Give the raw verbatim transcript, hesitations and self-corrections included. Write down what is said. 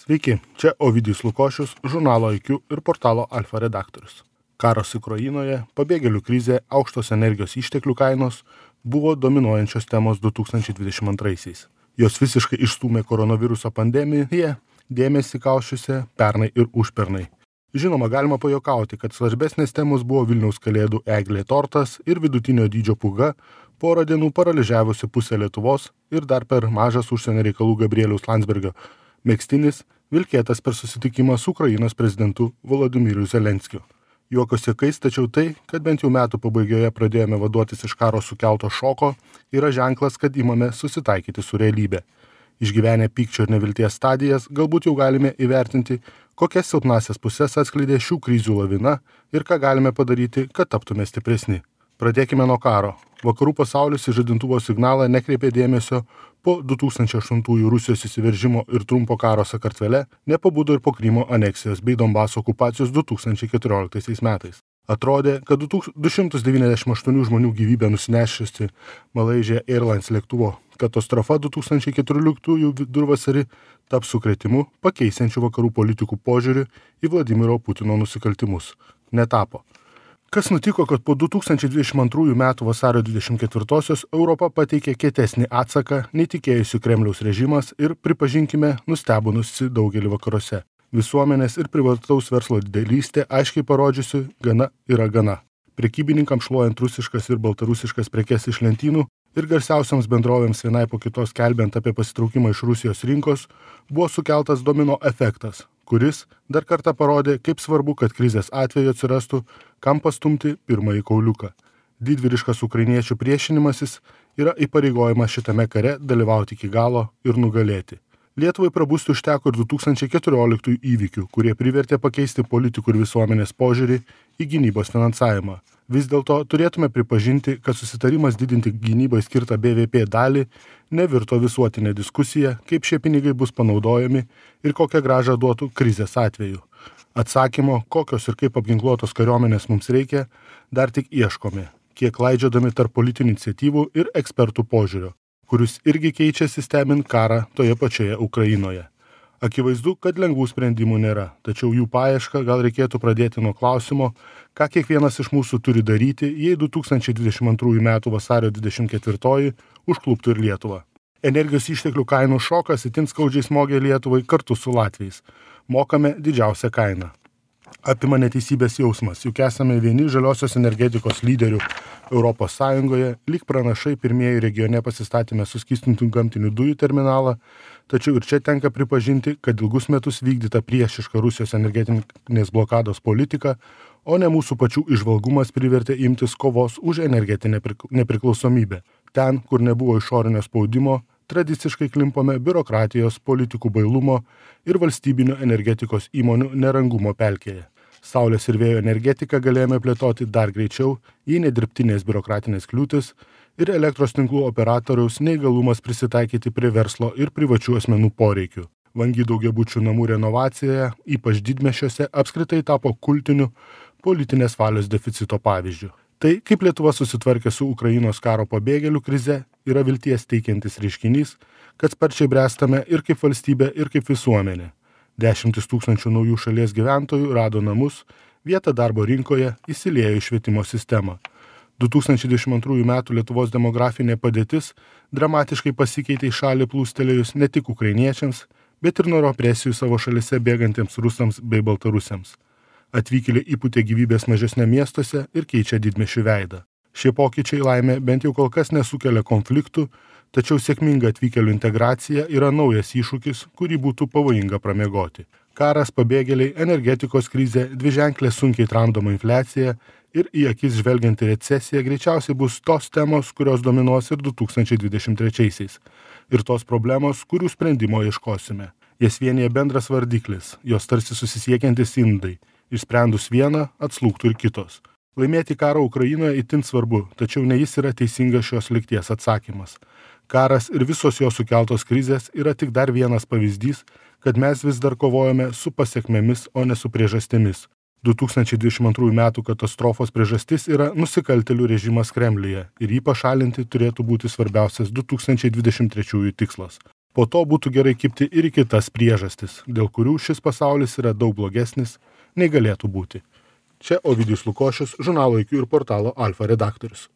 Sveiki, čia Ovidijus Lukošius, žurnalo I Q ir portalo Alfa redaktorius. Karas Ukrainoje, pabėgėlių krizė, aukštos energijos išteklių kainos buvo dominuojančios temos du tūkstančiai dvidešimt antraisiais. Jos visiškai išstūmė koronaviruso pandemiją, dėmesį kaušiuose pernai ir užpernai. Žinoma, galima pajokauti, kad svarbesnės temos buvo Vilniaus kalėdų eglė tortas ir vidutinio dydžio pūga, porą dienų paralyžiavusi pusę Lietuvos ir dar per mažas užsienio reikalų Gabrieliaus Landsbergio megztinis vilkėtas per susitikimą su Ukrainos prezidentu Volodymyru Zelenskiu. Juokos juokais, tačiau tai, kad bent jau metų pabaigoje pradėjome vaduotis iš karo sukelto šoko, yra ženklas, kad imame susitaikyti su realybe. Išgyvenę pykčio ir nevilties stadijas, galbūt jau galime įvertinti, kokias silpnasias pusės atskleidė šių krizių lavina ir ką galime padaryti, kad taptume stipresni. Pradėkime nuo karo. Vakarų pasaulis į žadintuvo signalą nekreipė dėmesio po du tūkstančiai aštuntųjų Rusijos įsiveržimo ir trumpo karo Sakartvele, nepabudo ir po Krymo aneksijos bei Donbaso okupacijos du tūkstančiai keturioliktaisiais metais. Atrodė, kad du šimtus devyniasdešimt aštuonių žmonių gyvybę nusinešusi Malaysia Airlines lėktuvo katastrofa du tūkstančiai keturioliktųjų vidurvasarį taps sukrėtimu, pakeisiančiu vakarų politikų požiūrį į Vladimiro Putino nusikaltimus. Netapo. Kas nutiko, kad po du tūkstančiai dvidešimt antrųjų metų vasario dvidešimt ketvirtosios Europa pateikė kietesnį atsaką, nei tikėjusi Kremliaus režimas ir, pripažinkime, nustebinusi daugelį vakaruose. Visuomenės ir privataus verslo didelystė aiškiai parodžiusi gana yra gana. Prekybininkams šluojant rusiškas ir baltarusiškas prekes iš lentynų ir garsiausiams bendrovėms vienai po kitos kelbiant apie pasitraukimą iš Rusijos rinkos, buvo sukeltas domino efektas, kuris dar kartą parodė, kaip svarbu, kad krizės atveju atsirastų, kam pastumti pirmąjį kauliuką. Didvyriškas ukrainiečių priešinimasis yra įpareigojimas šitame kare dalyvauti iki galo ir nugalėti. Lietuvai prabusti užteko ir du tūkstančiai keturioliktųjų įvykių, kurie privertė pakeisti politikų ir visuomenės požiūrį į gynybos finansavimą. Vis dėlto turėtume pripažinti, kad susitarimas didinti gynybai skirtą B V P dalį nevirto visuotinė diskusija, kaip šie pinigai bus panaudojami ir kokią grąžą duotų krizės atveju. Atsakymo, kokios ir kaip apginkluotos kariuomenės mums reikia, dar tik ieškome, kiek laidžiodami tarp politinių iniciatyvų ir ekspertų požiūrio, kuris irgi keičiasi stebint karą toje pačioje Ukrainoje. Akivaizdu, kad lengvų sprendimų nėra, tačiau jų paiešką gal reikėtų pradėti nuo klausimo, ką kiekvienas iš mūsų turi daryti, jei du tūkstančiai dvidešimt antrųjų metų vasario dvidešimt ketvirtoji užkluptų ir Lietuvą. Energijos išteklių kainų šokas itin skaudžiai smogė Lietuvai kartu su latviais. Mokame didžiausią kainą. Apima neteisybės jausmas, juk esame vieni žaliosios energetikos lyderių Europos Sąjungoje, lyg pranašai pirmieji regione pasistatėme suskystintų gamtinių dujų terminalą, tačiau ir čia tenka pripažinti, kad ilgus metus vykdyta priešiška Rusijos energetinės blokados politika, o ne mūsų pačių išvalgumas privertė imtis kovos už energetinę nepriklausomybę. Ten, kur nebuvo išorinio spaudimo, tradiciškai klimpome biurokratijos, politikų bailumo ir valstybinio energetikos įmonių nerangumo pelkėje. Saulės ir vėjo energetiką galėjome plėtoti dar greičiau, jei nedirbtinės biurokratinės kliūtis ir elektros tinklų operatoriaus neįgalumas prisitaikyti prie verslo ir privačių asmenų poreikių. Vangi daugiabučių namų renovacija, ypač didmiesčiuose, apskritai tapo kultiniu politinės valios deficito pavyzdžiu. Tai, kaip Lietuva susitvarkė su Ukrainos karo pabėgėlių krize, yra vilties teikiantis reiškinys, kad sparčiai bręstame ir kaip valstybė, ir kaip visuomenė. Dešimtis tūkstančių naujų šalies gyventojų rado namus, vietą darbo rinkoje, įsiliejo į švietimo sistemą. du tūkstančiai dvidešimt antrųjų metų Lietuvos demografinė padėtis dramatiškai pasikeitė į šalį plūstelėjus ne tik ukrainiečiams, bet ir nuo represijų savo šalise bėgantiems rusams bei baltarusiams. Atvykėliai įpūtė gyvybės mažesnė miestuose ir keičia didmiesčių veidą. Šie pokyčiai laimė bent jau kol kas nesukelia konfliktų, tačiau sėkminga atvykėlių integracija yra naujas iššūkis, kurį būtų pavojinga pramiegoti. Karas, pabėgėliai, energetikos krizė, dviženklė sunkiai tramdoma infliacija ir į akis žvelgianti recesija greičiausiai bus tos temos, kurios dominuos ir du tūkstančiai dvidešimt trečiaisiais. Ir tos problemos, kurių sprendimo ieškosime. Jas vienyje bendras vardiklis, jos tarsi susisiekiantis indai. Išsprendus vieną, atslūgtų ir kitos. Laimėti karą Ukrainoje itin svarbu, tačiau ne jis yra teisingas šios lygties atsakymas. Karas ir visos jo sukeltos krizės yra tik dar vienas pavyzdys, kad mes vis dar kovojame su pasekmėmis, o ne su priežastimis. du tūkstančiai dvidešimt antrųjų metų katastrofos priežastis yra nusikaltėlių režimas Kremliuje ir jį pašalinti turėtų būti svarbiausias du tūkstančiai dvidešimt trečiųjų tikslas. Po to būtų gerai kibti ir į kitas priežastis, dėl kurių šis pasaulis yra daug blogesnis, nei galėtų būti. Čia Ovidijus Lukošius, žurnalo I Q ir portalo Alfa redaktorius.